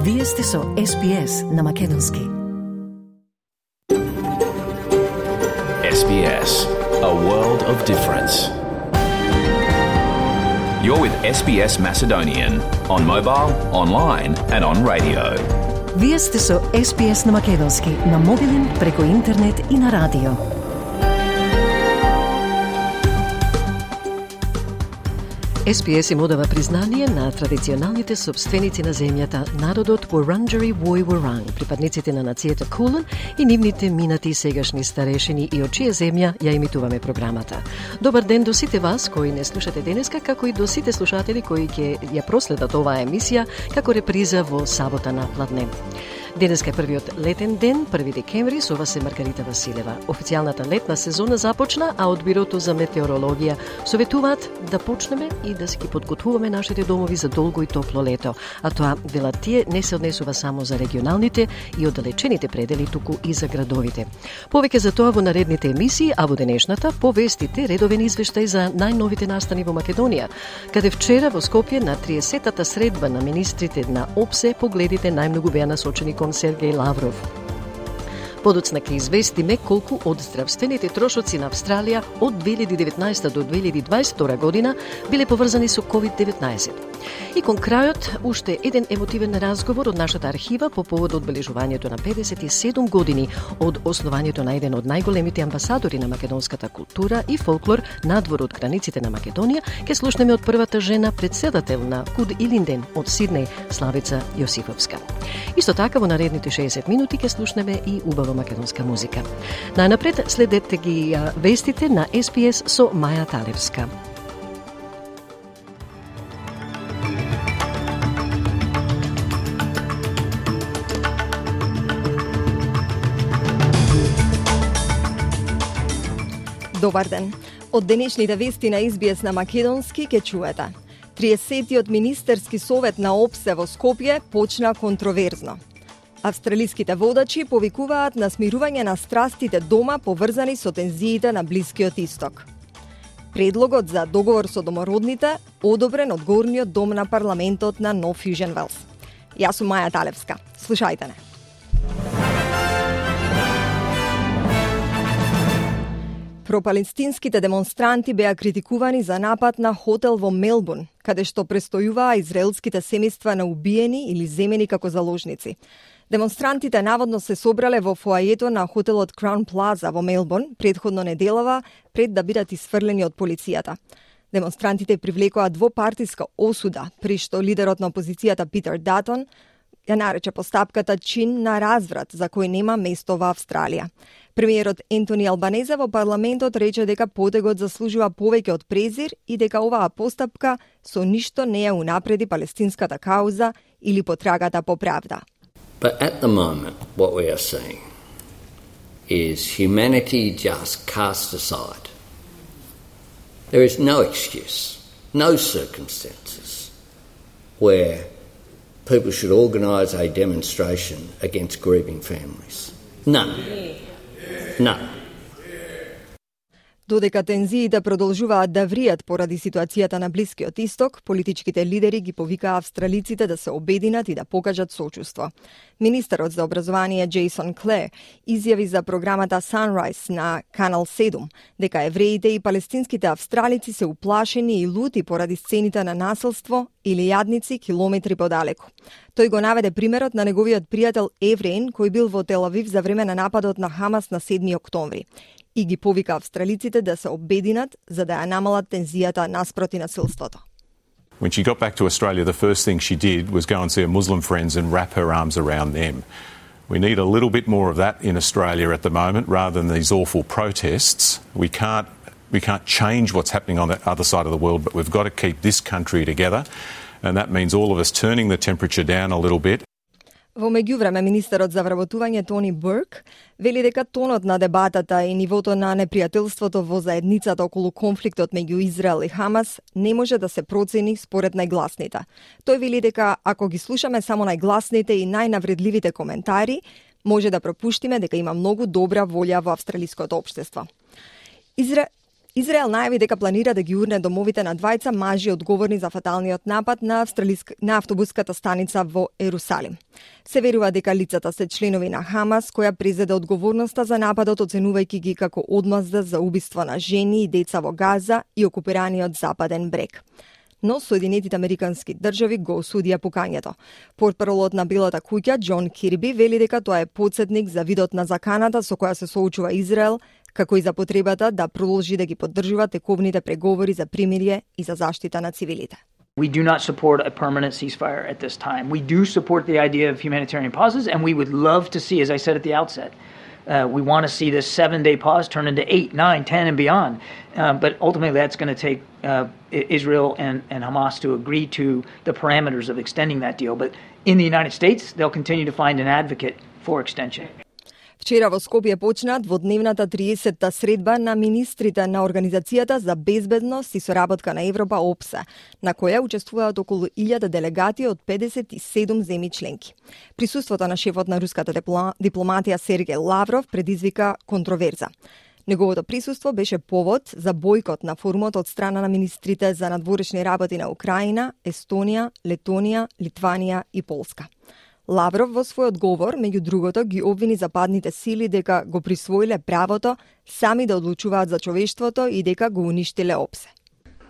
Вие сте со SBS на македонски. SBS, a world of difference. You're with SBS Macedonian on mobile, online and on radio. Вие сте со SBS на македонски на мобилен, преку интернет и на радио. SBS им одава признание на традиционалните собственици на земјата, народот Wurundjeri Woi Wurrung, припадниците на нацијата Кулен и нивните минати и сегашни старешини и од чија земја ја емитуваме програмата. Добар ден до сите вас кои не слушате денеска, како и до сите слушатели кои ќе ја проследат оваа емисија како реприза во сабота на пладне. Денеска е првиот летен ден, 1 декември, со вас е Маргарита Василева. Официјалната летна сезона започна, а од Бирото за метеорологија советуваат да почнеме и да си ги подготвуваме нашите домови за долго и топло лето. А тоа, велат тие, не се однесува само за регионалните и оддалечените предели, туку и за градовите. Повеќе за тоа во наредните емисии, а во денешната повестите редовен извештај за најновите настани во Македонија, каде вчера во Скопје на 30-та средба на министрите на ОПСЕ погледите најмногу беа насочени кон Сергеј Лавров. Подоцна ќе известиме колку од здравствените трошоци на Австралија од 2019 до 2022 година биле поврзани со COVID-19. И кон крајот, уште еден емотивен разговор од нашата архива по повод одбележувањето на 57 години од основањето на еден од најголемите амбасадори на македонската култура и фолклор надвор од границите на Македонија, ќе слушнеме од првата жена председател на Куд Илинден од Сиднеј, Славица Јосифовска. Исто така во наредните 60 минути ќе слушнеме и убава македонска музика. Најнапред следете ги вестите на SBS со Маја Талевска. Добар ден. Од денешните вести на SBS на македонски ќе чуете. 30-тиот министерски совет на ОПСЕ во Скопје почна контроверзно. Австралиските водачи повикуваат на смирување на страстите дома поврзани со тензиите на Блискиот Исток. Предлогот за договор со домородните одобрен од горниот дом на парламентот на Нов Южен Велс. Јас сум Маја Талевска. Слушајте не. Пропалестинските демонстранти беа критикувани за напад на хотел во Мелбурн, каде што престојуваа израелските семејства на убиени или земени како заложници. Демонстрантите наводно се собрале во фоајето на хотелот Краун Плаза во Мелбурн предходно неделава пред да бидат исфрлени од полицијата. Демонстрантите привлекоа двопартиска осуда, при што лидерот на опозицијата Питер Датон ја нарече постапката чин на разврат за кој нема место во Австралија. Премиерот Ентони Албанезе во парламентот рече дека потегот заслужува повеќе од презир и дека оваа постапка со ништо не ја унапреди палестинската кауза или потрагата по правда. But at the moment, what we are seeing is humanity just cast aside. There is no excuse, no circumstances where people should organise a demonstration against grieving families. None. None. Додека тензиите продолжуваат да вријат поради ситуацијата на Блискиот Исток, политичките лидери ги повикаа австралиците да се обединат и да покажат сочувство. Министерот за образование Джейсон Клер изјави за програмата Sunrise на Канал 7 дека евреите и палестинските австралици се уплашени и лути поради сцените на насилство или јадници километри подалеку. Тој го наведе примерот на неговиот пријател евреин кој бил во Тел Авив за време на нападот на Хамас на 7 октомври. И ги повика австралиците да се обединат за да ја намалат тензијата наспроти насилството. When she got back to Australia, the first thing she did was go and see her Muslim friends and wrap her arms around them. We need a little bit more of that in Australia at the moment, rather than these awful protests. We can't change what's happening on the other side of the world, but we've got to keep this country together, and that means all of us turning the temperature down a little bit. Во меѓувреме, министерот за вработување Тони Бурк вели дека тонот на дебатата и нивото на непријателството во заедницата околу конфликтот меѓу Израел и Хамас не може да се процени според најгласните. Тој вели дека ако ги слушаме само најгласните и најнавредливите коментари, може да пропуштиме дека има многу добра волја во австралиското општество. Израел најави дека планира да ги урне домовите на двајца мажи одговорни за фаталниот напад на автобуската станица во Ерусалим. Се верува дека лицата се членови на Хамас, која презеде одговорноста за нападот, оценувајќи ги како одмазда за убиство на жени и деца во Газа и окупираниот Западен брег. Но Соединетите Американски држави го осудија покањето. Портпаролот на Белата куќа Џон Кирби вели дека тоа е потсетник за видот на заканата со која се соочува Израел, како и за потребата да продолжи да ги поддржува тековните преговори за примирие и за заштита на цивилите. We do not support a permanent ceasefire at this time. We do support the idea of humanitarian pauses, and we would love to see, as I said at the outset, we want to see this 7-day pause turn into 8, 9, 10, and beyond. But ultimately, that's going to take Israel and Hamas to agree to the parameters of extending that deal. But in the United States, they'll continue to find an advocate for extension. Вчера во Скопје почна дводневната 30-та средба на министрите на Организацијата за безбедност и соработка на Европа ОПСЕ, на која учествуваат околу 1000 делегати од 57 земји членки. Присуството на шефот на руската дипломатија Сергеј Лавров предизвика контроверза. Неговото присуство беше повод за бојкот на форумот од страна на министрите за надворешни работи на Украина, Естонија, Летонија, Литванија и Полска. Лавров во својот говор, меѓу другото, ги обвини западните сили дека го присвоиле правото сами да одлучуваат за човештвото и дека го уништиле ОПСЕ.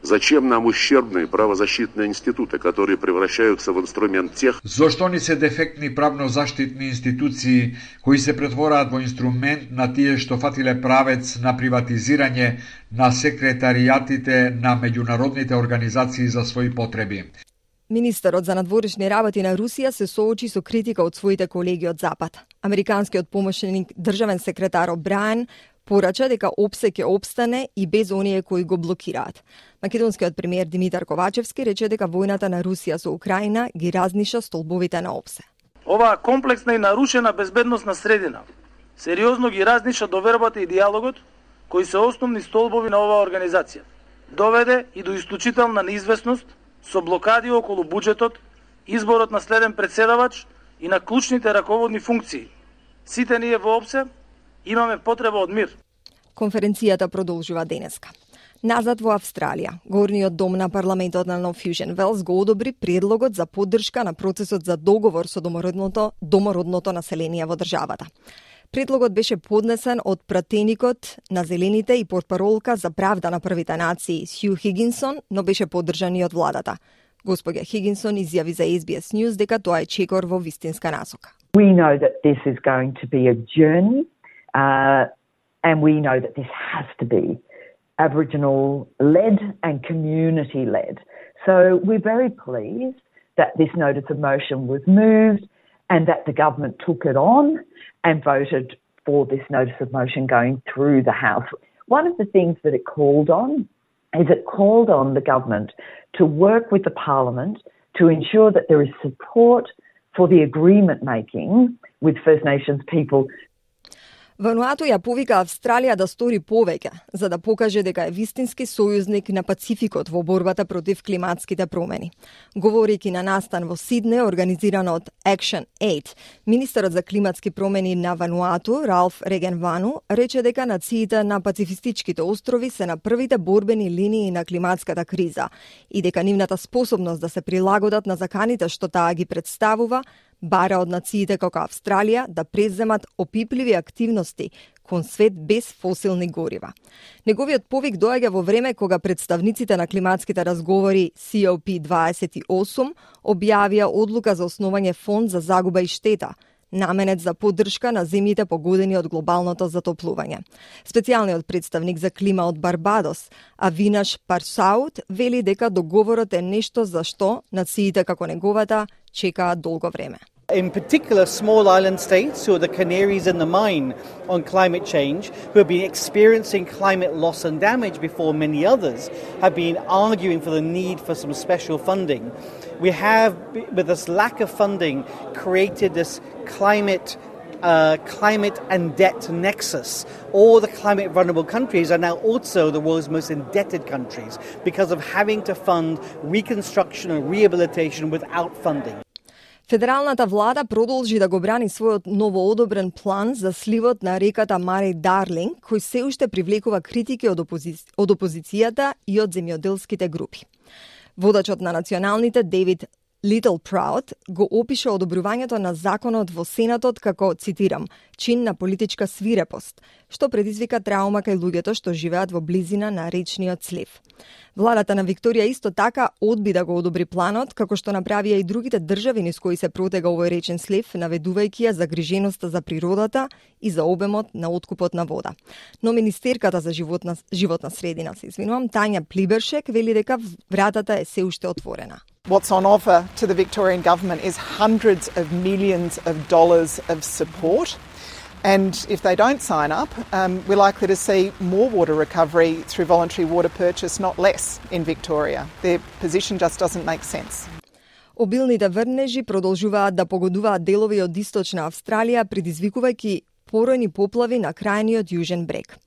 Зачем нам ущербные правозащитные институты, которые превращаются в инструмент тех? Зошто ни се дефектни правнозаштитни институции кои се претвораат во инструмент на тие што фатиле правец на приватизирање на секретаријатите на меѓународните организации за своји потреби? Министерот за надворешни работи на Русија се соочи со критика од своите колеги од Запад. Американскиот помошник државен секретар О'Браен порача дека ОПСЕ ќе опстане и без оние кои го блокираат. Македонскиот премиер Димитар Ковачевски рече дека војната на Русија со Украина ги разниша столбовите на ОПСЕ. Оваа комплексна и нарушена безбедносна средина сериозно ги разниша довербата и диалогот, кои се основни столбови на оваа организација. Доведе и до исклучителна неизвестност со блокади околу буџетот, изборот на следен председавач и на клучните раководни функции. Сите ние во ОПСЕ имаме потреба од мир. Конференцијата продолжува денеска. Назад во Австралија, горниот дом на парламентот на Нов Фјужен Велс го одобри предлогот за поддршка на процесот за договор со домородното население во државата. Предлогот беше поднесен од пратеникот на Зелените и портпаролка за правда на првите нации Сју Хигинсон, но беше поддржан и од владата. Господја Хигинсон изјави за SBS News дека тоа е чекор во вистинска насока. We know that this is going to be a journey, and we know that this has to be Aboriginal-led and community-led. So we're very pleased that this notice of motion was moved and that the government took it on and voted for this notice of motion going through the House. One of the things that it called on is it called on the government to work with the Parliament to ensure that there is support for the agreement making with First Nations people. Вануату ја повика Австралија да стори повеќе, за да покаже дека е вистински сојузник на Пацификот во борбата против климатските промени. Говорејќи на настан во Сидне, организиран од Action Aid, министерот за климатски промени на Вануату, Ралф Регенвану, рече дека нациите на пацифистичките острови се на првите борбени линии на климатската криза и дека нивната способност да се прилагодат на заканите што таа ги представува бара од нациите како Австралија да преземат опипливи активности кон свет без фосилни горива. Неговиот повик доаѓа во време кога представниците на климатските разговори COP28 објавија одлука за основање фонд за загуба и штета, наменет за поддршка на земјите погодени од глобалното затоплување. Специјалниот представник за клима од Барбадос, Авинаш Парсаут, вели дека договорот е нешто за што нациите како неговата чекаат долго време. In particular, small island states who are the canaries in the mine on climate change, who have been experiencing climate loss and damage before many others, have been arguing for the need for some special funding. We have, with this lack of funding, created this climate and debt nexus. All the climate vulnerable countries are now also the world's most indebted countries because of having to fund reconstruction and rehabilitation without funding. Федералната влада продолжи да го брани својот новоодобрен план за сливот на реката Мари Дарлинг, кој се уште привлекува критики од опозицијата и од земјоделските групи. Водачот на националните Дейвид Литл Праут го опиша одобрувањето на законот во Сенатот како, цитирам, чин на политичка свирепост, што предизвика траума кај луѓето што живеат во близина на речниот слив. Владата на Викторија исто така одби да го одобри планот, како што направија и другите држави низ кои се протега овој речен слив, наведувајќи ја загриженоста за природата и за обемот на откупот на вода. Но министерката за животна средина, Тања Плибершек, вели дека вратата е се уште отворена. What's on offer to the Victorian government is hundreds of millions of dollars of support. And if they don't sign up, we're likely to see more water recovery through voluntary water purchase, not less, in Victoria. Their position just doesn't make sense. Обилните врнежи продолжуваат да погодуваат делови од источна Австралија, предизвикувајќи поројни поплави на крајниот јужен брег.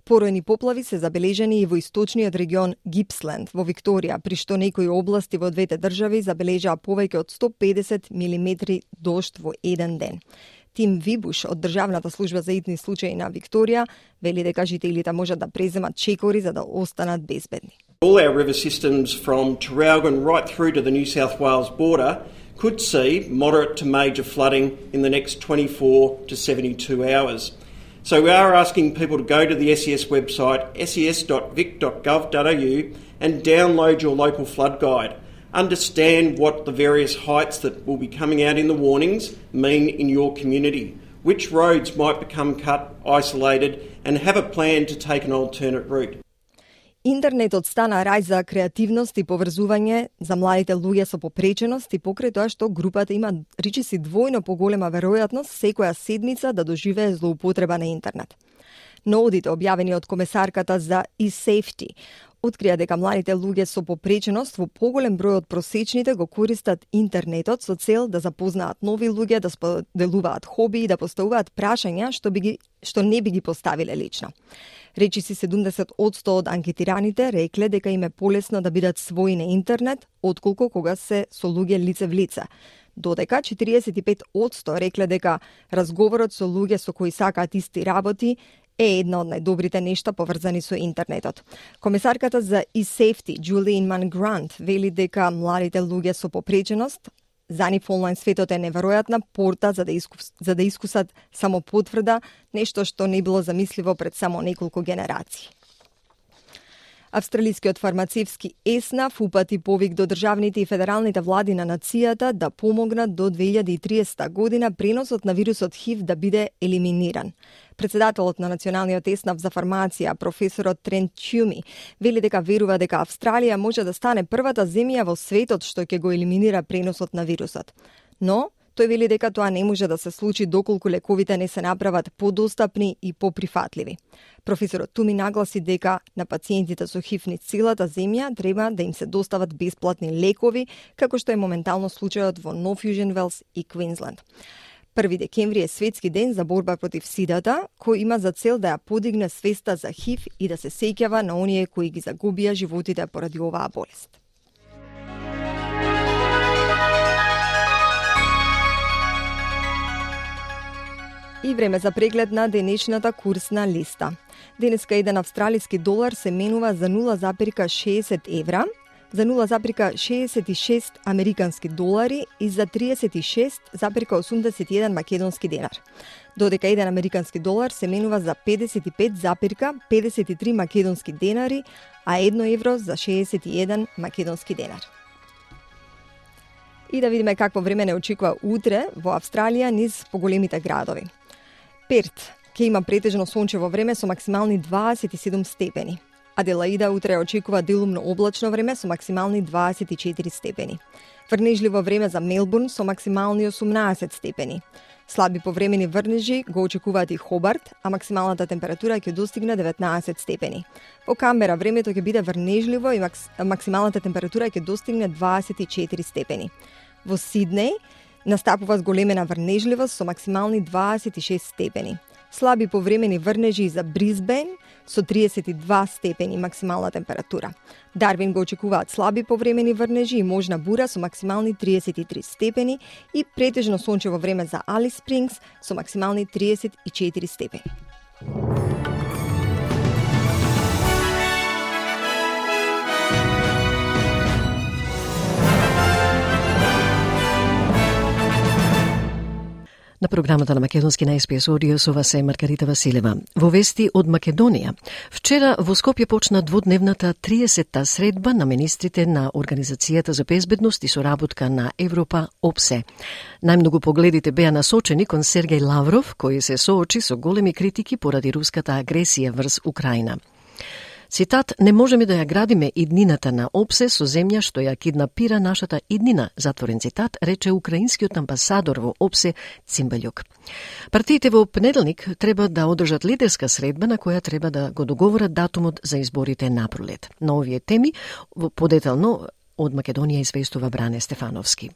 Поројни поплави се забележани и во источниот регион Гипсленд во Викторија, при што некои области во двете држави забележаа повеќе од 150 милиметри дожд во еден ден. Тим Вибуш од Државната служба за итни случаи на Викторија вели дека жителите можат да преземат чекори за да останат безбедни. All our river systems from Traralgon right through to the New South Wales border could see moderate to major flooding in the next 24 to 72 hours. So we are asking people to go to the SES website, ses.vic.gov.au, and download your local flood guide. Understand what the various heights that will be coming out in the warnings mean in your community, which roads might become cut, isolated, and have a plan to take an alternate route. Интернетот стана рај за креативност и поврзување за младите луѓе со попреченост и покрај тоа што групата има речиси двојно поголема веројатност секоја седмица да доживее злоупотреба на интернет. Наодите објавени од комесарката за e-safety открија дека младите луѓе со попреченост во поголем број од просечните го користат интернетот со цел да запознаат нови луѓе, да споделуваат хоби и да поставуваат прашања што не би ги поставиле лично. Речиси 70% од анкетираните рекле дека им е полесно да бидат своји на интернет, отколку кога се со луѓе лице в лице. Додека 45% рекле дека разговорот со луѓе со кои сакаат исти работи е една од најдобрите нешта поврзани со интернетот. Комесарката за e-safety Julian Mann Grant вели дека младите луѓе со попреченост за нив онлайн светот е неверојатна порта за да искусат само потврда, нешто што не било замисливо пред само неколку генерации. Австралискиот фармацевски ЕСНАФ упати повик до државните и федералните влади на нацијата да помогнат до 2030 година преносот на вирусот ХИВ да биде елиминиран. Председателот на Националниот ЕСНАФ за фармација, професорот Трент Тјуми, вели дека верува дека Австралија може да стане првата земја во светот што ќе го елиминира преносот на вирусот. Но тој вели дека тоа не може да се случи доколку лековите не се направат подостапни и поприфатливи. Професорот Туми нагласи дека на пациентите со ХИВ низ целата земја треба да им се достават бесплатни лекови, како што е моментално случајот во Нов Јужен Велс и Квинсленд. 1 декември е светски ден за борба против сидата, кој има за цел да ја подигне свеста за ХИВ и да се сеќава на оние кои ги загубија животите поради оваа болест. И време за преглед на денешната курсна листа. Денеска еден австралиски долар се менува за 0,60 евра, за 0,66 американски долари и за 36,81 македонски денар. Додека еден американски долар се менува за 55,53 македонски денари, а 1 евро за 61 македонски денар. И да видиме какво време не очекува утре во Австралија низ поголемите градови. Перт ќе има претежно сончево време со максимални 27 степени. Аделаида утре очекува делумно облачно време со максимални 24 степени. Врнежливо време за Мелбурн со максимални 18 степени. Слаби повремени врнежи го очекуваат и Хобарт, а максималната температура ќе достигне 19 степени. Во Камбера времето ќе биде врнежливо и максималната температура ќе достигне 24 степени. Во Сиднеј настапува зголемена врнежливост со максимални 26 степени. Слаби повремени врнежи за Брисбен со 32 степени максимална температура. Дарвин го очекуваат слаби повремени врнежи и можна бура со максимални 33 степени и претежно сончево време за Алис Спрингс со максимални 34 степени. На програмата на Македонски на СПС Audio со вас е Маргарита Василева. Во вести од Македонија. Вчера во Скопје почна дводневната 30-та средба на министрите на Организацијата за безбедност и соработка на Европа ОПСЕ. Најмногу погледите беа насочени кон Сергеј Лавров, кој се соочи со големи критики поради руската агресија врз Украина. Цитат, не можеме да ја градиме иднината на ОПСЕ со земја што ја киднапира нашата иднина, затворен цитат, рече украинскиот амбасадор во ОПСЕ Цимбалјук. Партиите во понеделник треба да одржат лидерска средба на која треба да го договорат датумот за изборите на пролет. На овие теми подетално од Македонија известува Бране Стефановски.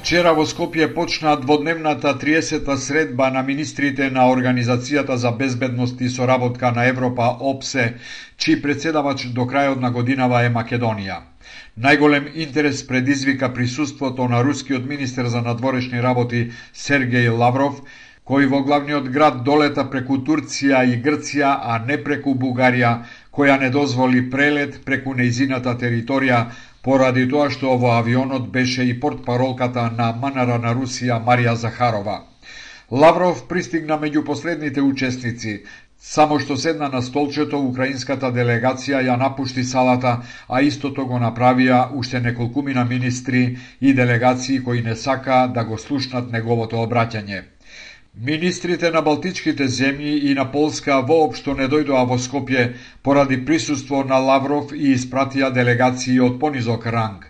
Вчера во Скопје почна дводневната 30-та средба на министрите на Организацијата за безбедност и соработка на Европа ОПСЕ, чиј председавач до крајот на годинава е Македонија. Најголем интерес предизвика присуството на рускиот министер за надворешни работи Сергеј Лавров, кој во главниот град долета преку Турција и Грција, а не преку Бугарија, која не дозволи прелет преку нејзината територија, поради тоа што во авионот беше и портпаролката на МНР на Русија Марија Захарова. Лавров пристигна меѓу последните учесници. Само што седна на столчето, украинската делегација ја напушти салата, а истото го направија уште неколкумина министри и делегации кои не сака да го слушнат неговото обраќање. Министрите на Балтичките земји и на Полска воопшто не дојдоа во Скопје поради присуство на Лавров и испратија делегации од понизок ранг.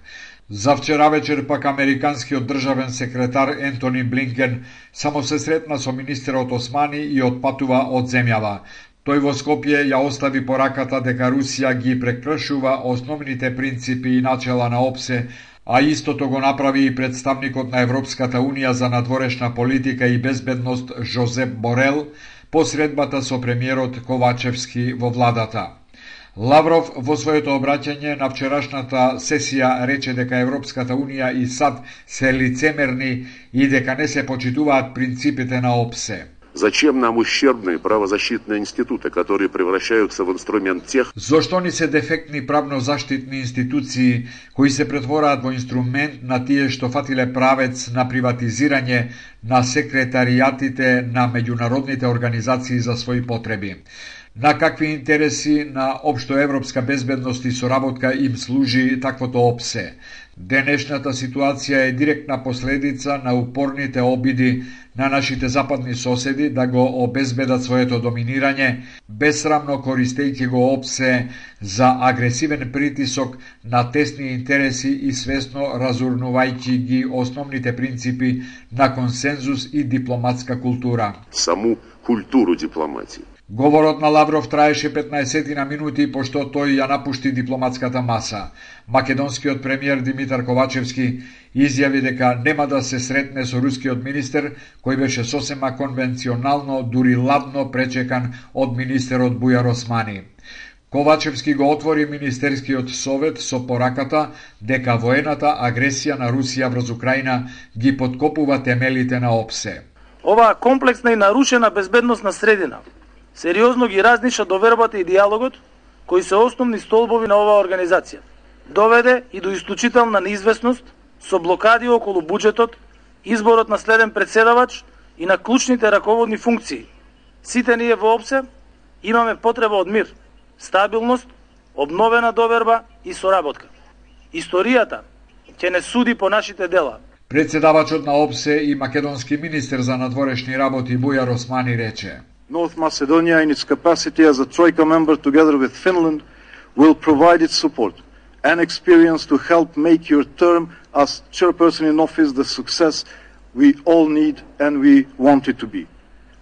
За вчера вечер пак американскиот државен секретар Ентони Блинкен само се сретна со министерот Османи и отпатува од земјава. Тој во Скопје ја остави пораката дека Русија ги прекршува основните принципи и начела на ОПСЕ, а истото го направи и представникот на Европската Унија за надворешна политика и безбедност Жозеп Борел по средбата со премиерот Ковачевски во владата. Лавров во своето обраќање на вчерашната сесија рече дека Европската Унија и САД се лицемерни и дека не се почитуваат принципите на ОПСЕ. Зачем нам ущербные правозащитные институты, которые превращаются в инструмент тех... Зошто ни се дефектни правнозаштитни институции, кои се претвораат во инструмент на тие што фатиле правец на приватизирање на секретаријатите на меѓународните организации за своји потреби? На какви интереси на општоевропска безбедност и соработка им служи таквото ОПСЕ? Денешната ситуација е директна последица на упорните обиди на нашите западни соседи да го обезбедат своето доминирање, безсрамно користејќи го ОПСЕ за агресивен притисок на тесни интереси и свесно разурнувајќи ги основните принципи на консензус и дипломатска култура. Саму културу дипломатии. Говорот на Лавров траеше 15 на минути, пошто тој ја напушти дипломатската маса. Македонскиот премиер Димитар Ковачевски изјави дека нема да се сретне со рускиот министер, кој беше сосема конвенционално, дури ладно пречекан од министерот Бујар Османи. Ковачевски го отвори Министерскиот совет со пораката дека воената агресија на Русија врз Украина ги подкопува темелите на ОПСЕ. Оваа комплексна и нарушена безбедносна средина сериозно ги разниша довербата и диалогот, кои се основни столбови на оваа организација. Доведе и до исклучителна неизвестност со блокади околу буџетот, изборот на следен председавач и на клучните раководни функции. Сите ние во ОПСЕ имаме потреба од мир, стабилност, обновена доверба и соработка. Историјата ќе не суди по нашите дела. Председавачот на ОПСЕ и македонски министер за надворешни работи Бујар Османи рече: North Macedonia, in its capacity as a Troika member together with Finland, will provide its support and experience to help make your term as chairperson in office the success we all need and we want it to be.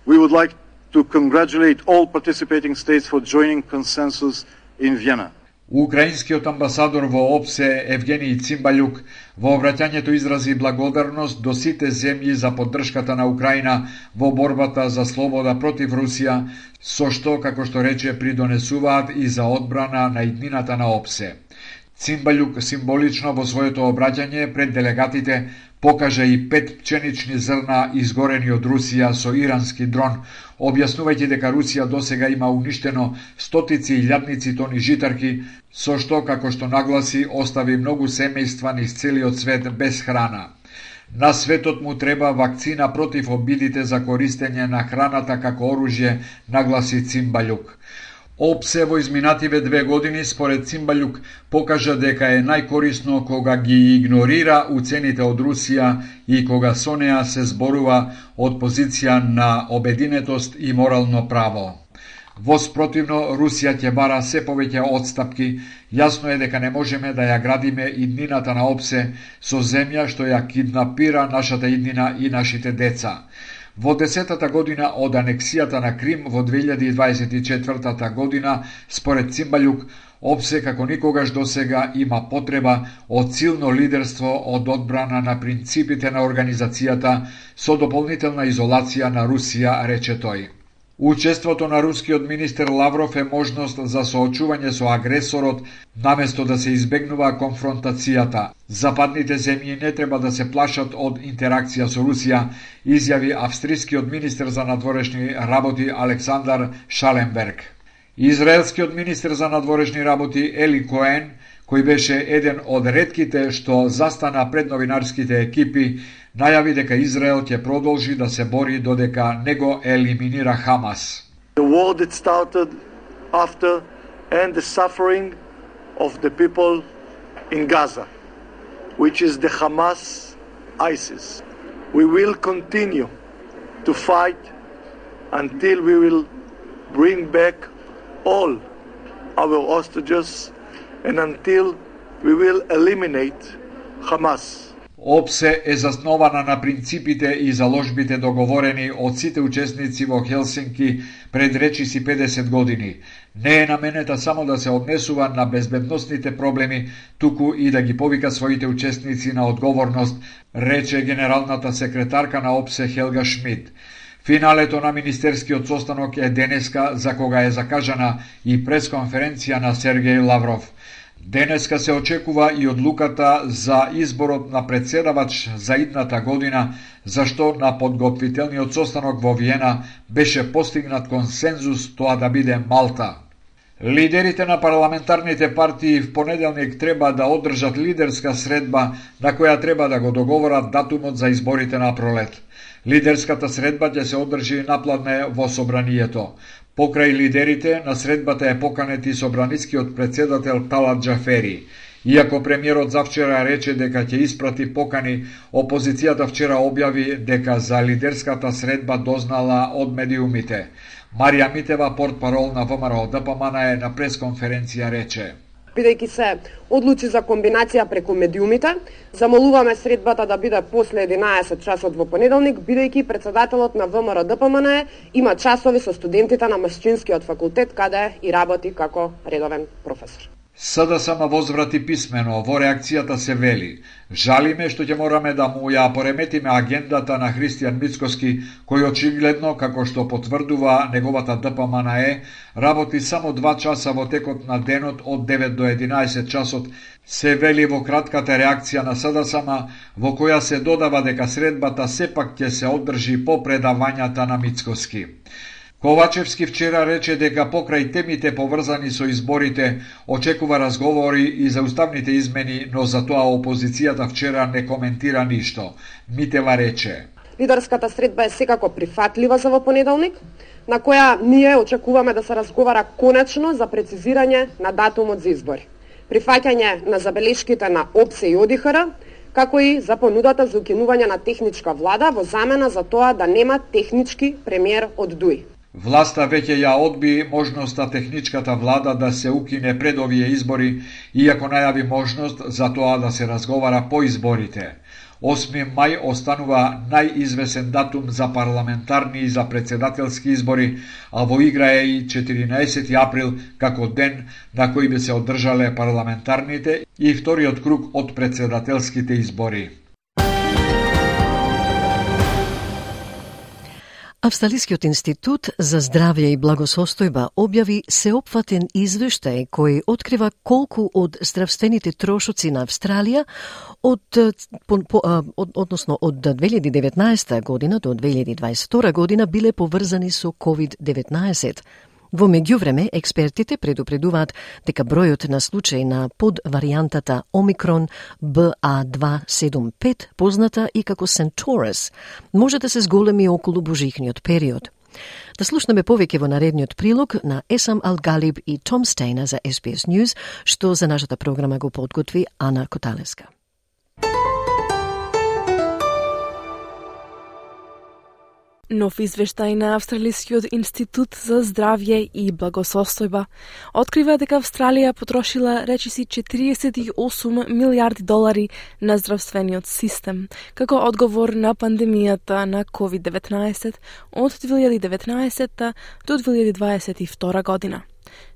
We would like to congratulate all participating states for joining consensus in Vienna. Украинскиот амбасадор во ОПСЕ Евгений Цимбалјук во обраќањето изрази благодарност до сите земји за поддршката на Украина во борбата за слобода против Русија, со што, како што рече, придонесуваат и за одбрана на иднината на ОПСЕ. Цимбалјук символично во своето обраќање пред делегатите покажа и 5 пченични зрна изгорени од Русија со ирански дрон, објаснувајќи дека Русија досега има уништено стотици илјадници тони житарки, со што, како што нагласи, остави многу семејства низ целиот свет без храна. На светот му треба вакцина против обидите за користење на храната како оружје, нагласи Цимбалјук. ОПСЕ во изминативе 2 години, според Цимбалјук, покажа дека е најкорисно кога ги игнорира уцените од Русија и кога со неа се зборува од позиција на обединетост и морално право. Во спротивно, Русија ќе бара се повеќе отстапки. Јасно е дека не можеме да ја градиме иднината на ОПСЕ со земја што ја киднапира нашата иднина и нашите деца. Во 10-та година од анексијата на Крим во 2024 година, според Цимбалјук, ОПСЕ како никогаш досега има потреба од силно лидерство од одбрана на принципите на организацијата со дополнителна изолација на Русија, рече тој. Учеството на рускиот министер Лавров е можност за соочување со агресорот, наместо да се избегнува конфронтацијата. Западните земји не треба да се плашат од интеракција со Русија, изјави австрискиот министер за надворешни работи Александар Шаленберг. Израелскиот министер за надворешни работи Ели Коен, кој беше еден од ретките што застана пред новинарските екипи, најави дека Израел ќе продолжи да се бори додека не го елиминира Хамас. The war that started after and the suffering of the people in Gaza, which is the Hamas ISIS. We will continue to fight until we will bring back all our hostages and until we will eliminate Hamas. ОПСЕ е заснована на принципите и заложбите договорени од сите учесници во Хелсинки пред речиси 50 години. Не е наменета само да се однесува на безбедносните проблеми, туку и да ги повика своите учесници на одговорност, рече генералната секретарка на ОПСЕ Хелга Шмид. Финалето на министерскиот состанок е денеска, за кога е закажана и пресконференција на Сергеј Лавров. Денеска се очекува и одлуката за изборот на председавач за идната година, зашто на подготвителниот состанок во Виена беше постигнат консензус тоа да биде Малта. Лидерите на парламентарните партии в понеделник треба да одржат лидерска средба на која треба да го договорат датумот за изборите на пролет. Лидерската средба ќе се одржи напладне во собранието. Покрај лидерите, на средбата е поканет и собранискиот председател Талат Џафери. Иако премиерот завчера рече дека ќе испрати покани, опозицијата вчера објави дека за лидерската средба дознала од медиумите. Марија Митева, портпарол на ВМРО ДПМН, на пресконференција рече: Бидејќи се одлучи за комбинација преку медиумите, замолуваме средбата да биде после 11 часот во понеделник, бидејќи председателот на ВМРО ДПМН има часови со студентите на Машчинскиот факултет, каде и работи како редовен професор. СДСМ возврати писмено, во реакцијата се вели: жалиме што ќе мораме да му ја пореметиме агендата на Христијан Мицкоски, кој очигледно, како што потврдува неговата ДПМН, работи само 2 часа во текот на денот од 9 до 11 часот, се вели во кратката реакција на СДСМ, во која се додава дека средбата сепак ќе се одржи по предавањата на Мицкоски. Ковачевски вчера рече дека покрај темите поврзани со изборите очекува разговори и за уставните измени, но за тоа опозицијата вчера не коментира ништо. Митева рече: Лидерската средба е секако прифатлива за во понеделник, на која ние очекуваме да се разговара конечно за прецизирање на датумот за избори, прифаќање на забелешките на ОПСЕ и ОДИХР, како и за понудата за укинување на техничка влада во замена за тоа да нема технички премиер од ДУИ. Власта веќе ја одби можноста техничката влада да се укине пред овие избори, иако најави можност за тоа да се разговара по изборите. 8 мај останува најизвесен датум за парламентарни и за председателски избори, а во игра е и 14 април како ден на кој би се одржале парламентарните и вториот круг од председателските избори. Австралискиот институт за здравје и благосостојба објави сеопфатен извештај кој открива колку од здравствените трошоци на Австралија од 2019 година до 2022 година биле поврзани со COVID-19. Во меѓувреме, експертите предупредуваат дека бројот на случаи на подваријантата Омикрон BA.275, позната и како Centaurus, може да се зголеми околу божихниот период. Да слушнеме повеќе во наредниот прилог на Есам Алгалиб и Том Стейна за SBS News, што за нашата програма го подготви Ана Коталеска. Нов извештај на Австралискиот институт за здравје и благосостојба открива дека Австралија потрошила речиси 48 милиарди долари на здравствениот систем, како одговор на пандемијата на COVID-19 од 2019 до 2022 година.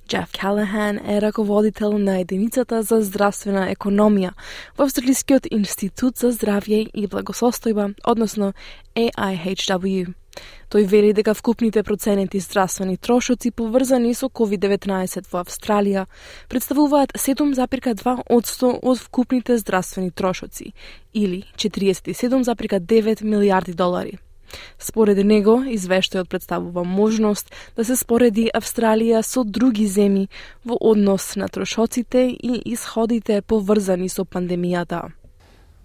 Jeff Callahan е раководител на единицата за здравствена економија во Австралискиот институт за здравје и благосостојба, односно AIHW. Тој вели дека вкупните проценти здравствени трошоци поврзани со COVID-19 во Австралија представуваат 7,2% од вкупните здравствени трошоци, или 47,9 милиарди долари. Според него, извештајот представува можност да се спореди Австралија со други земји во однос на трошоците и исходите поврзани со пандемијата.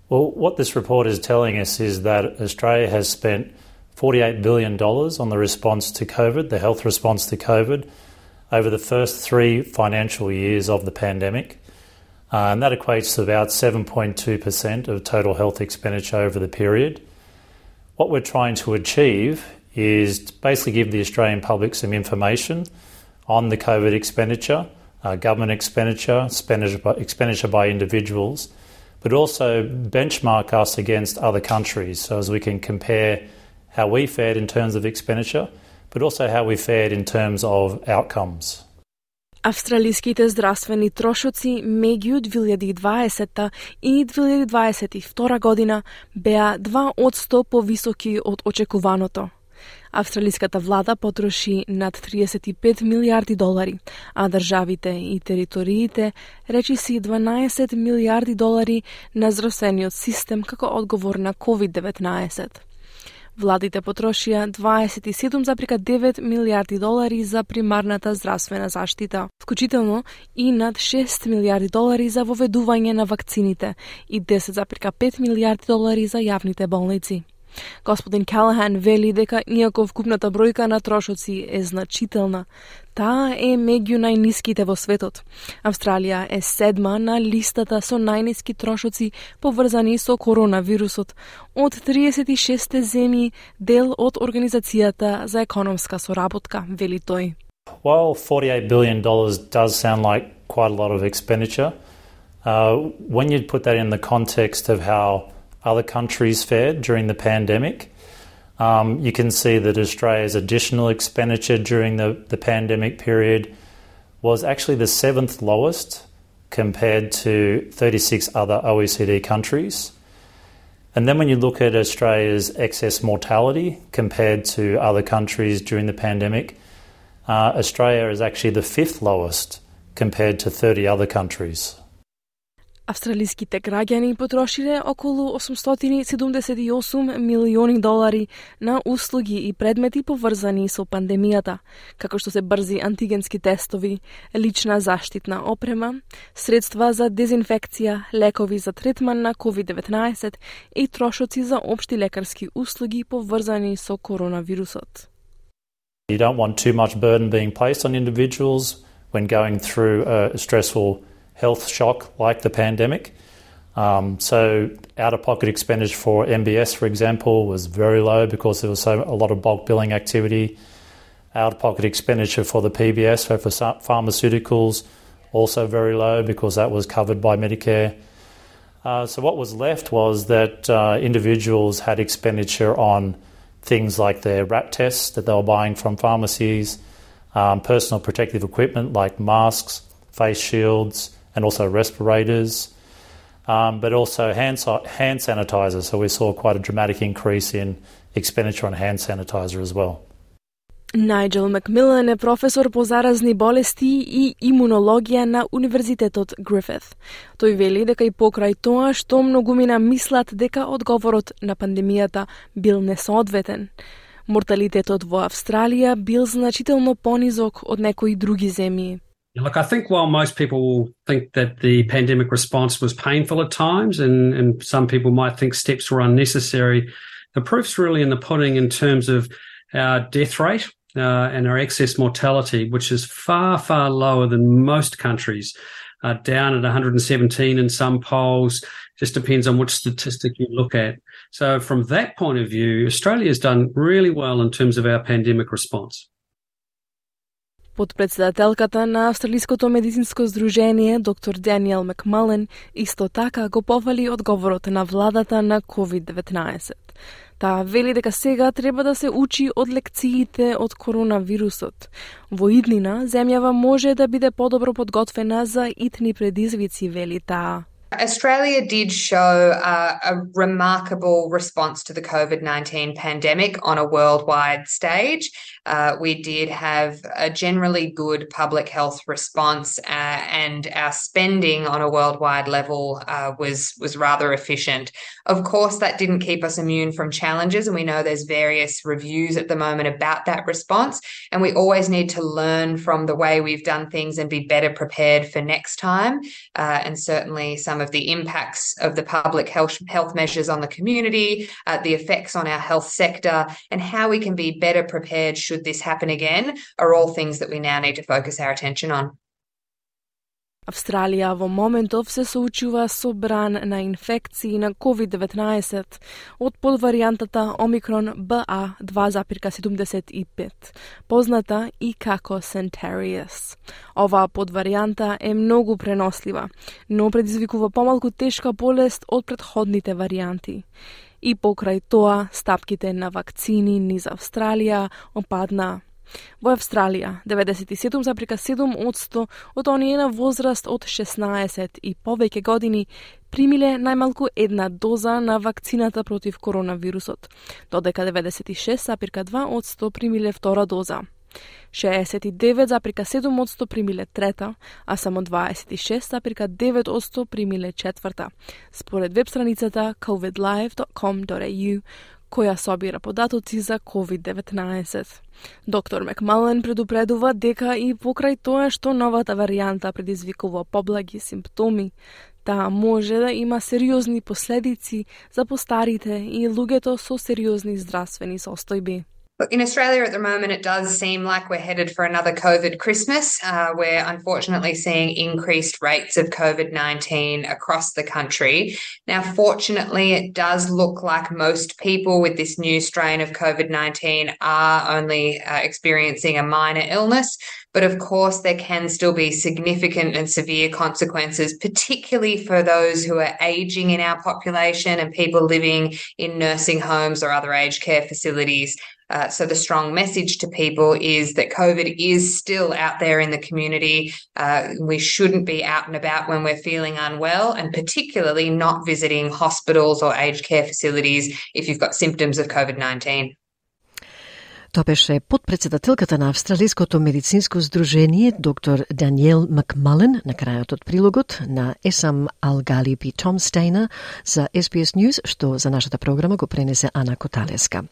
Well, what this report is telling us is that Australia has spent $48 billion on the response to COVID, the health response to COVID, over the first 3 financial years of the pandemic. And that equates to about 7.2% of total health expenditure over the period. What we're trying to achieve is to basically give the Australian public some information on the COVID expenditure, government expenditure, expenditure by individuals, but also benchmark us against other countries so as we can compare how we fared in terms of expenditure, but also how we fared in terms of outcomes. Австралиските здравствени трошоци меѓу 2020 и 2022 година беа 2% повисоки од очекуваното. Австралиската влада потроши над 35 милиарди долари, а државите и териториите речиси 12 милиарди долари на здравствениот систем како одговор на COVID-19. Владите потрошија 27,9 милиарди долари за примарната здравствена заштита, вклучително и над 6 милиарди долари за воведување на вакцините и 10,5 милиарди долари за јавните болници. Господин Callahan вели дека иако вкупната бројка на трошоци е значителна, таа е меѓу најниските во светот. Австралија е 7 на листата со најниски трошоци поврзани со коронавирусот од 36 земји, дел од Организацијата за економска соработка, вели тој. While $48 billion does sound like quite a lot of expenditure, when you put that in the context of how other countries fared during the pandemic, you can see that Australia's additional expenditure during the pandemic period was actually the 7th lowest compared to 36 other OECD countries. And then when you look at Australia's excess mortality compared to other countries during the pandemic, Australia is actually the 5th lowest compared to 30 other countries. Австралиските граѓани потрошиле околу 878 милиони долари на услуги и предмети поврзани со пандемијата, како што се брзи антигенски тестови, лична заштитна опрема, средства за дезинфекција, лекови за третман на COVID-19 и трошоци за општи лекарски услуги поврзани со коронавирусот. You don't want too much burden being placed on individuals when going through a stressful health shock like the pandemic. So out-of-pocket expenditure for MBS, for example, was very low because there was a lot of bulk billing activity. Out-of-pocket expenditure for the PBS, so for pharmaceuticals, also very low because that was covered by Medicare. So what was left was that individuals had expenditure on things like their RAT tests that they were buying from pharmacies, personal protective equipment like masks, face shields, and also respirators, but also hand sanitizer. So we saw quite a dramatic increase in expenditure on hand sanitizer as well. Најджел Макмилан е професор по заразни болести и имунологија на Универзитетот Грифит. Тој вели дека и покрај тоа што многумина мислат дека одговорот на пандемијата бил несоодветен. Морталитетот во Австралија бил значително понизок од некои други земји. Look, I think while most people will think that the pandemic response was painful at times and some people might think steps were unnecessary, the proof's really in the pudding in terms of our death rate and our excess mortality, which is far, far lower than most countries, down at 117 in some polls. Just depends on which statistic you look at. So from that point of view, Australia's done really well in terms of our pandemic response. Подпредседателката на Австралиското медицинско здружение, доктор Даниел Макмален, исто така го пофали одговорот на владата на COVID-19. Таа вели дека сега треба да се учи од лекциите од коронавирусот. Во иднина, земјава може да биде подобро подготвена за итни предизвици, вели таа. Australia did show a remarkable response to the COVID-19 pandemic on a worldwide stage. We did have a generally good public health response, and our spending on a worldwide level was rather efficient. Of course, that didn't keep us immune from challenges, and we know there's various reviews at the moment about that response, and we always need to learn from the way we've done things and be better prepared for next time. And certainly some of the impacts of the public health measures on the community, the effects on our health sector, and how we can be better prepared should this happen again are all things that we now need to focus our attention on. Австралија во моментов се соочува со бран на инфекции на COVID-19 од подваријантата Омикрон BA.2.75, позната и како Centaurus. Оваа подваријанта е многу пренослива, но предизвикува помалку тешка болест од претходните варијанти. И покрај тоа, стапките на вакцини низ Австралија опадна. Во Австралија, 97,7% од оние на возраст од 16 и повеќе години примиле најмалку една доза на вакцината против коронавирусот, додека 96,2% примиле втора доза. 69,7% примиле трета, а само 26,9% примиле четврта, според веб страницата covidlive.com.au, која собира податоци за COVID-19. Доктор Макмален предупредува дека и покрај тоа што новата варијанта предизвикува поблаги симптоми, таа може да има сериозни последици за постарите и луѓето со сериозни здравствени состојби. Look, in Australia at the moment, it does seem like we're headed for another COVID Christmas. We're unfortunately seeing increased rates of COVID-19 across the country. Now, fortunately, it does look like most people with this new strain of COVID-19 are only experiencing a minor illness. But of course, there can still be significant and severe consequences, particularly for those who are aging in our population and people living in nursing homes or other aged care facilities. So the strong message to people is that COVID is still out there in the community. We shouldn't be out and about when we're feeling unwell, and particularly not visiting hospitals or aged care facilities if you've got symptoms of COVID-19. Тоа беше подпредседателката на Австралиското медицинско здружение, доктор Даниел Макмален, на крајот од прилогот на Есам Алгалип и Том Стейна за SBS News, што за нашата програма го пренесе Ана Коталеска.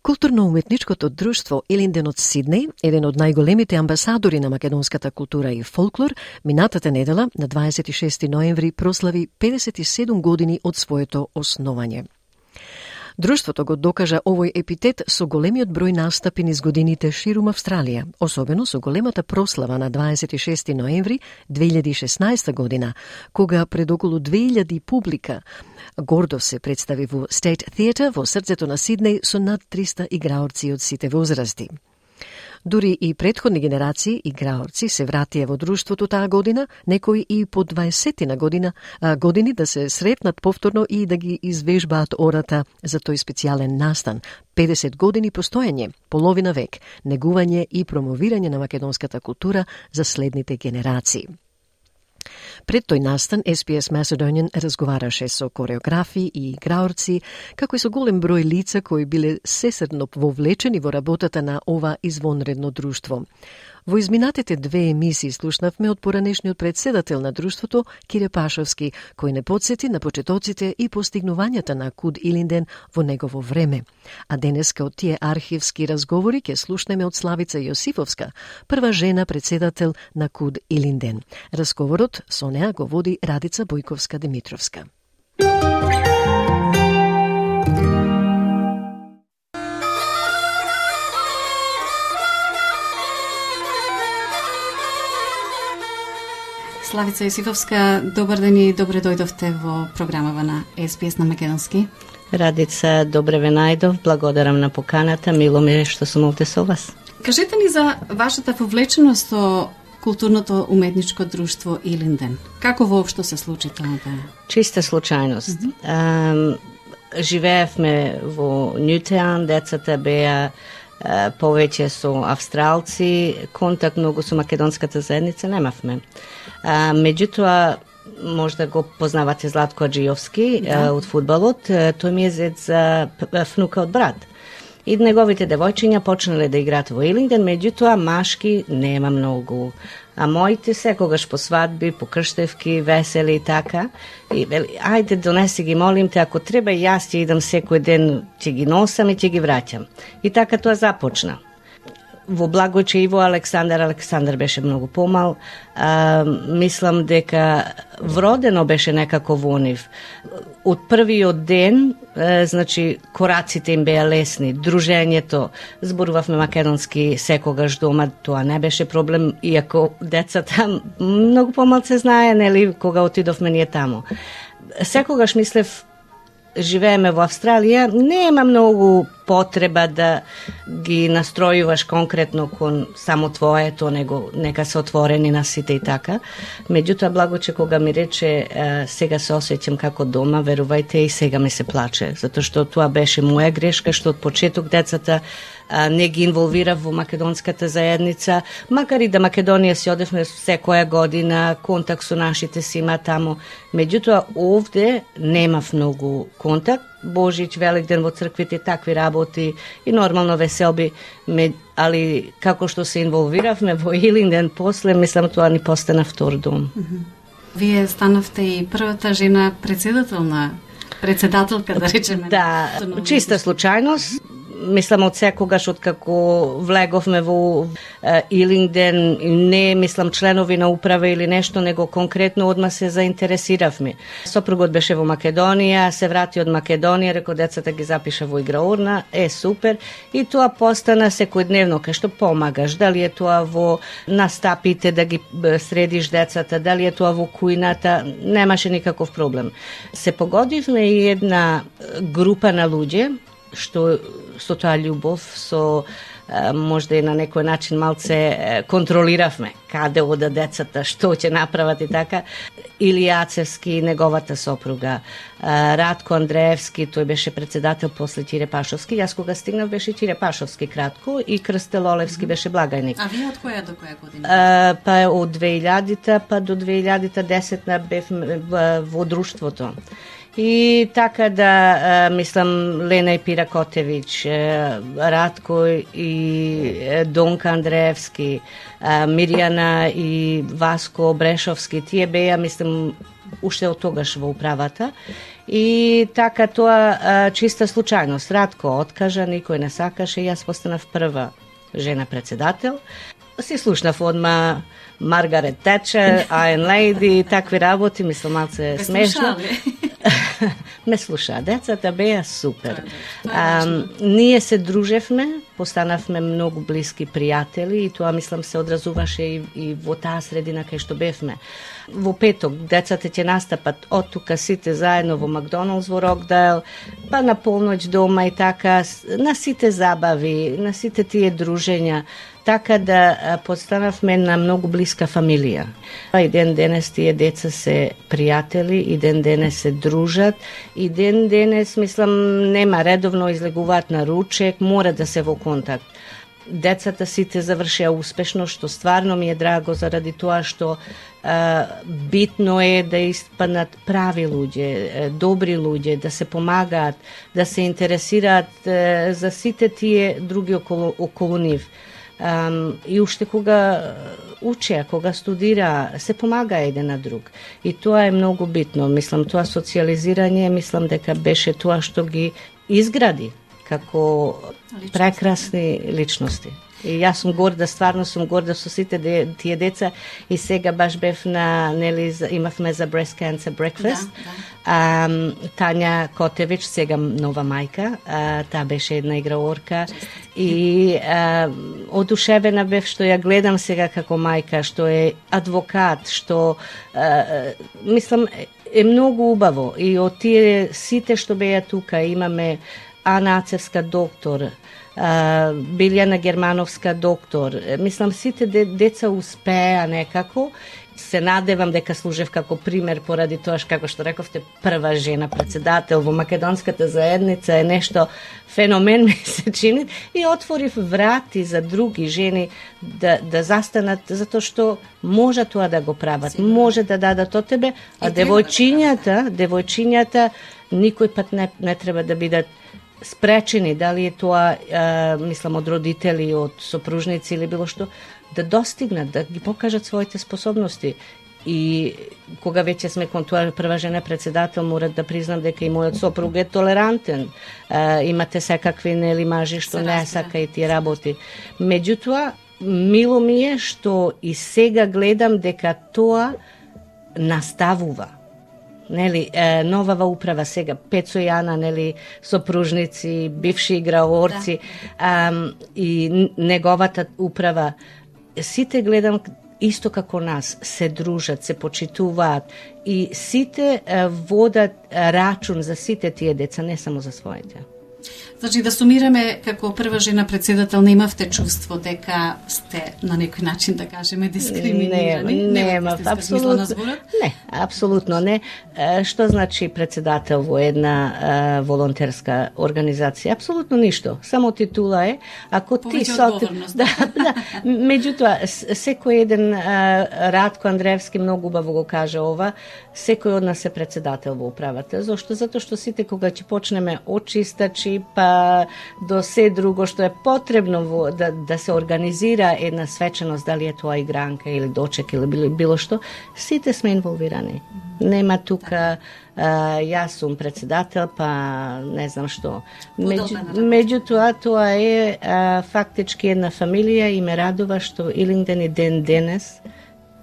Културно-уметничкото друштво Елинден од Сиднеј, еден од најголемите амбасадори на македонската култура и фолклор, минатата недела на 26 ноември прослави 57 години од своето основање. Друштвото го докажа овој епитет со големиот број настапи низ годините ширум Австралија, особено со големата прослава на 26 ноември 2016 година, кога пред околу 2000 публика гордо се представи во State Theatre во срцето на Сиднеј со над 300 играорци од сите возрасти. Дури и претходни генерации играорци се вратија во друштвото таа година, некои и по 20 години да се сретнат повторно и да ги извежбаат ората за тој специјален настан. 50 години постоење, половина век, негување и промовирање на македонската култура за следните генерации. Пред тој настан, SBS Macedonian разговараше со кореографи и играорци, како и со голем број лица кои биле сесредно вовлечени во работата на ова извонредно друштво. Во изминатите 2 емисии слушнавме од поранешниот председател на друштвото, Кире Пашовски, кој не подсети на почетоците и постигнувањата на Куд Илинден во негово време. А денеска од тие архивски разговори ќе слушнеме од Славица Јосифовска, прва жена председател на Куд Илинден. Разговорот со неа го води Радица Бојковска-Димитровска. Славица Јосифовска, добар ден и добре дојдовте во програмава на SBS на македонски. Радица, добре ве најдов, благодарам на поканата, мило ми е што сум овде со вас. Кажете ни за вашата вовлеченост со културното уметничко друштво Илинден. Како воопшто се случи тоа? Чиста случајност. Живеевме во Нјутеан, децата беа повеќе со австралци, контакт многу со македонската заедница немавме. Меѓутоа, можда го познавате Златко Аджиовски од фудбалот, тој ми е зет за внука од брат. И неговите девојчиња почнале да играат во Илинден, меѓутоа машки нема многу. А моите секогаш по свадби, по крштевки, весели и така. И вели, ајде донеси ги, молим те, ако треба и јас ќе идам секој ден, ќе ги носам и ќе ги враќам. И така тоа започна. Во Благојче и во Александар беше многу помал. Мислам дека вродено беше некако во нив. Од првиот ден, значи, кораците им беа лесни, дружењето, зборувавме македонски секогаш дома, тоа не беше проблем, иако децата многу помалце знае, нели, кога отидовме ние таму. Секогаш мислев, живееме во Австралија, нема многу потреба да ги настројуваш конкретно кон само твоето, него нека се отворени на сите и така. Меѓутоа, Благоче кога ми рече сега се осеќам како дома, верувајте и сега ми се плаче, затоа што тоа беше моја грешка, што од почеток децата не ги инволвирав во македонската заедница, макар и да Македонија си одевме секоја година, контакт со нашите си има таму. Меѓутоа, овде немав многу контакт. Божич, Великден во црквите, такви работи и нормално веселби, али како што се инволвиравме во Илинден после, мислам тоа ни постана втор дом. Вие станавте и првата жена председателка, да речеме. Да, чиста случајност. Мислам од секогаш откако влеговме во Илинден, не мислам членови на управа или нешто, него конкретно одма се заинтересиравме. Сопругот беше во Македонија, се врати од Македонија, реко децата ги запиша во играурна, супер, и тоа постана секојдневно, кај што помагаш, дали е тоа во настапите да ги средиш децата, дали е тоа во кујната, немаше никаков проблем. Се погодивме и една група на луѓе, што со тоа љубов, со можда и на некој начин малце контролиравме каде ода децата, што ќе направат и така. Илија Ацевски, неговата сопруга, Радко Андреевски, тој беше председател после Тире Пашовски. Јас кога стигнав беше Тире Пашовски кратко и Крстел Олевски беше благајник. А вие од која до која година? Па од 2000-та па до 2010-та бев во друштвото. И така да, мислам, Лена и Пира Котевич, Радко и Донка Андреевски, Мирјана и Васко Брешовски, тие беа, мислам, уште од тогаш во управата. И така тоа чиста случајност. Радко откажа, никој не сакаше, јас постанав прва жена председател. Си слушнав одма Маргарет Течер, Iron Lady, такви работи, мислам, малце смешно. Ме слуша, децата беа супер. Ние се дружевме, постанавме многу блиски пријатели и тоа, мислам, се одразуваше и во таа средина кај што бевме. Во петок децата ќе настапат од тука сите заедно во Макдоналдс во Рокдайл, па на полноќ дома и така, на сите забави, на сите тие дружења. така да постанавме на многу блиска фамилија. И ден денес тие деца се пријатели, и ден денес се дружат, и ден денес, мислам, нема редовно излегуваат на ручек, мора да се во контакт. Децата сите завршија успешно, што стварно ми е драго заради тоа што битно е да испаднат прави луѓе, добри луѓе, да се помагаат, да се интересираат за сите тие други околу нив. И уште кога учеа, кога студира, се помага еден на друг. И тоа е многу битно. Мислам, тоа социализирање, мислам дека беше тоа што ги изгради како прекрасни личности. И јас сум горда, стварно сум горда со сите тие деца, и сега баш бев на, нели, имавме за Breast Cancer Breakfast. Тања Котевич, сега нова мајка, таа беше една играорка, и одушевена бев што ја гледам сега како мајка, што е адвокат, што мислам е многу убаво. И од тие сите што беа тука имаме Ана Ацевска доктор, Билјана Германовска доктор. Мислам, сите деца успеа некако. Се надевам дека служев како пример поради тоа како што рековте, прва жена председател во македонската заедница е нешто феномен, ми се чини, и отворив врати за други жени да застанат, затоа што може тоа да го прават, може да дадат од тебе, а девојчињата никој пат не треба да бидат спречени, дали е тоа, мислам, од родители, од сопружници или било што, да достигнат, да ги покажат своите способности. И кога веќе сме кон тоа прва жена председател, морат да признам дека и мојот сопруг е толерантен. Имате секакви, нели, мажи што не сака и тие работи. Меѓутоа, мило ми е што и сега гледам дека тоа наставува. Нели, новава управа сега, Пецо и Ана, нели, сопружници, бивши играорци, и неговата управа, сите гледам исто како нас, се дружат, се почитуваат, и сите водат рачун за сите тие деца, не само за своите. Значи, да сумираме, како прва жена председател, немавте чувство дека сте на некој начин, да кажеме, дискриминирани? Нема, апсолутно не. Апсолутно не. Што значи председател во една волонтерска организација? Апсолутно ништо. Само титула е. Ако ти да. Меѓутоа, секој еден, Радко Андреевски многу убаво го каже ова, секој од нас е председател во управата. Зошто? Затоа што сите кога ќе почнеме од чистачи, па до се друго што е потребно да се организира една свеченост, дали е тоа игранка или дочек или било што, сите сме инволвирани. Нема тука јас сум председател, па не знам што. Меѓутоа, тоа е фактички една фамилија и ме радува што Илинден и ден денес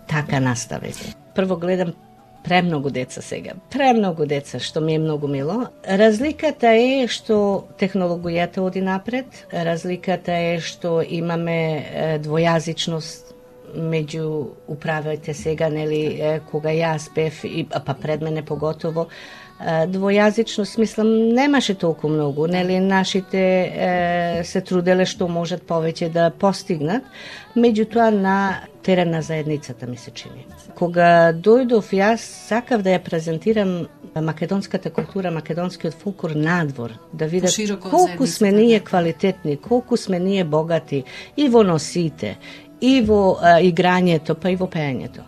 така настави. Прво гледам премногу деца сега. Премногу деца, што ми е многу мило. Разликата е што технологијата оди напред. Разликата е што имаме двојазичност меѓу управите сега, нели, кога јас бев, па пред мене поготово, двојазичност, мислам, немаше толку многу, нели, нашите се труделе што можат повеќе да постигнат, меѓутоа на терен на заедницата ми се чини. Кога дојдов, јас сакав да ја презентирам македонската култура, македонскиот фолклор надвор, да видат колку сме ние квалитетни, колку сме ние богати и во носите, и во играњето, па и во пеењето.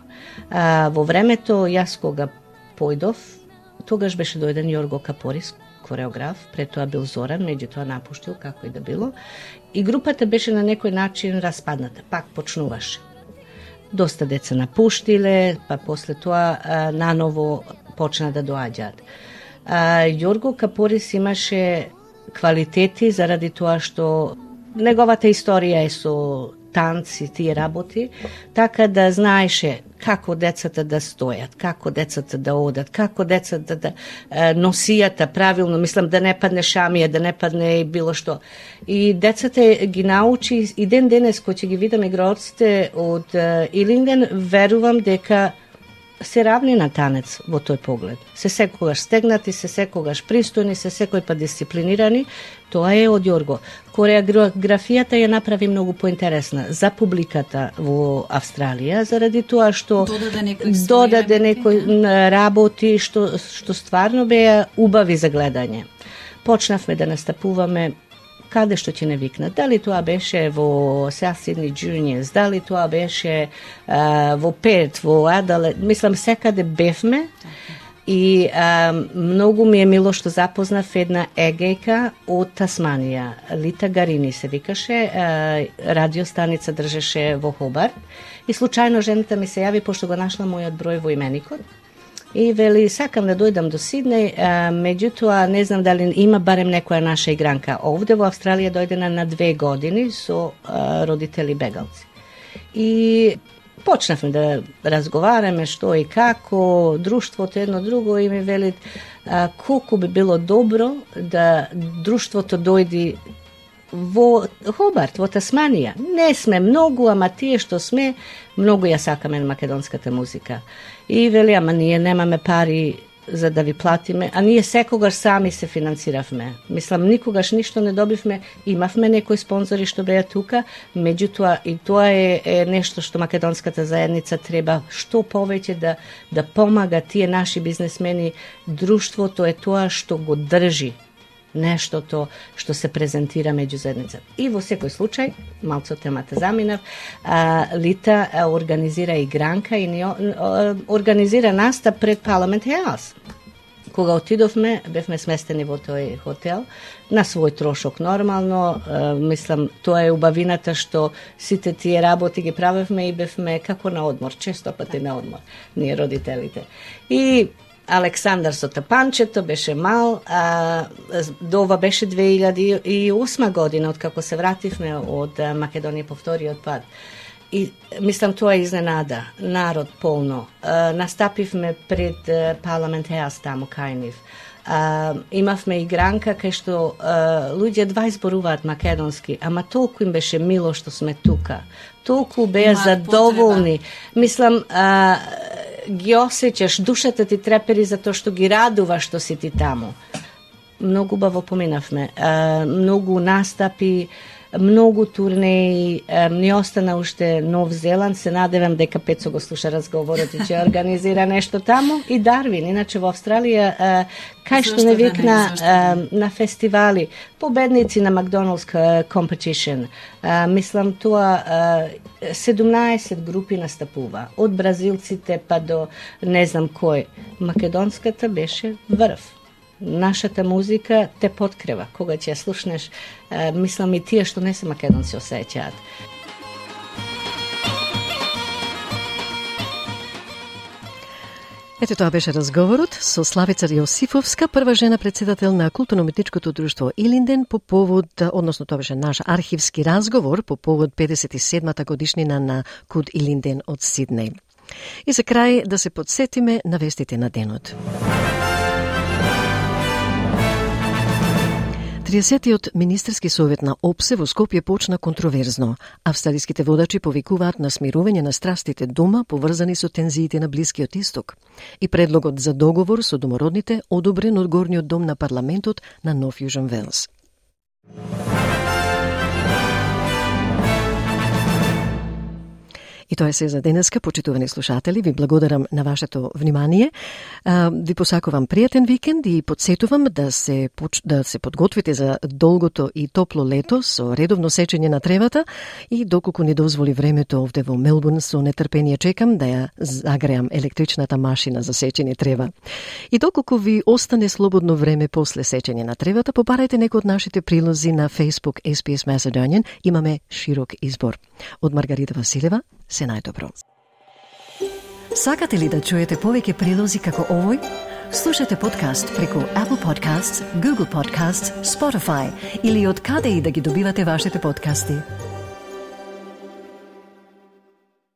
Во времето, јас кога појдов, тогаш беше дојден Јорго Капорис, кореограф, пред тоа бил Зоран, меѓутоа напуштил, како и да било, и групата беше на некој начин распадната, пак почнуваше. Доста деца напуштиле, па после тоа наново почна да доаѓаат. Јорго Капорис имаше квалитети заради тоа што неговата историја е со танци, тие работи, така да знаеше како децата да стојат, како децата да одат, како децата да носијата правилно, мислам да не падне шамија, да не падне и било што. И децата ги научи, и ден денес кој ќе ги видам играоците од Илинден, верувам дека се равни на танец во тој поглед. Се секогаш стегнати, се секогаш пристојни, се секој па дисциплинирани, тоа е од Јорго. Кореографијата ја направи многу поинтересна за публиката во Австралија, заради тоа што додаде некој работи што стварно беа убави за гледање. Почнавме да настапуваме каде што ќе не викнат. Дали тоа беше во South Sydney Juniors, дали тоа беше во Перт, во Аделаид, мислам секаде бевме и многу ми е мило што запознав една егејка од Тасманија, Лита Гарини се викаше, радиостаница држеше во Хобарт и случајно жената ми се јави пошто го нашла мојот број во именикот. И вели, сакам да дојдам до Сиднеј, меѓутоа не знам дали има барем некоја наша игранка. Овде во Австралија дојдена на 2 години со родители бегалци. И почнавме да разговараме што и како, друштвото едно друго и ми велит колку би било добро да друштвото дојди во Хобарт, во Тасманија. Не сме многу, ама тие што сме, многу ја сакаме на македонската музика. И вели, ама ние немаме пари за да ви платиме, а ние секогаш сами се финансиравме. Мислам, никогаш ништо не добивме, имавме некои спонзори што беа тука, меѓутоа и тоа е нешто што македонската заедница треба што повеќе да помага тие наши бизнесмени. Друштвото е тоа што го држи нештото што се презентира меѓу заедницата. И во секој случај, малку темата заминав, Лита организира игранка и организира настап пред Парламент Хаус. Кога отидовме, бевме сместени во тој хотел, на свој трошок нормално, мислам, тоа е убавината што сите тие работи ги правевме и бевме како на одмор, често пати на одмор, ние родителите. И Александар со тапанчето беше мал, ова беше 2008 година, откако се вративме од Македонија по вториот пат. И мислам тоа е изненада, народ полно. Настапивме пред Парламент Хаус таму кај нив. Имавме игранка кај што луѓе два изборуваат македонски, ама толку им беше мило што сме тука. Толку беа задоволни. Мислам, ги осеќаш, душата ти трепери за тоа што ги радува што си ти таму. Многу убаво поминавме, многу настапи, многу турнеи, ни остана уште Нов Зеланд, се надевам дека Пецо го слуша разговорот и ќе организира нешто таму, и Дарвин, иначе во Австралија, кај што не викна на фестивали, победници на Макдоналдс Competition, мислам тоа 17 групи настапува, од бразилците па до не знам кој. Македонската беше врв. Нашата музика те подкрива. Кога ќе ја слушнеш, мислам и тие што не се македонци осеќаат. Ето тоа беше разговорот со Славица Јосифовска, прва жена председател на културно-уметничкото друштво Илинден по повод, односно тоа беше наш архивски разговор по повод 57-та годишнина на Куд Илинден од Сиднеј. И за крај да се подсетиме на вестите на денот. 30-тиот министерски совет на ОПСЕ во Скопје почна контроверзно. Австралиските водачи повикуваат на смирување на страстите дома поврзани со тензиите на Блискиот Исток. И предлогот за договор со домородните одобрен од горниот дом на парламентот на Нов Јужен Велс. И тоа е се за денеска, почитувани слушатели. Ви благодарам на вашето внимание. Ви посакувам пријатен викенд и подсетувам да се подготвите за долгото и топло лето со редовно сечење на тревата и доколку ни дозволи времето овде во Мелбурн, со нетрпение чекам да ја загреам електричната машина за сечење трева. И доколку ви остане слободно време после сечење на тревата, побарајте некој од нашите прилози на Facebook SPS Macedonian. Имаме широк избор. Од Маргарита Василева, се најдобро. Сакате ли да чуете повеќе прилози како овој? Слушате подкаст преку Apple Podcasts, Google Podcasts, Spotify или од каде и да ги добивате вашите подкасти.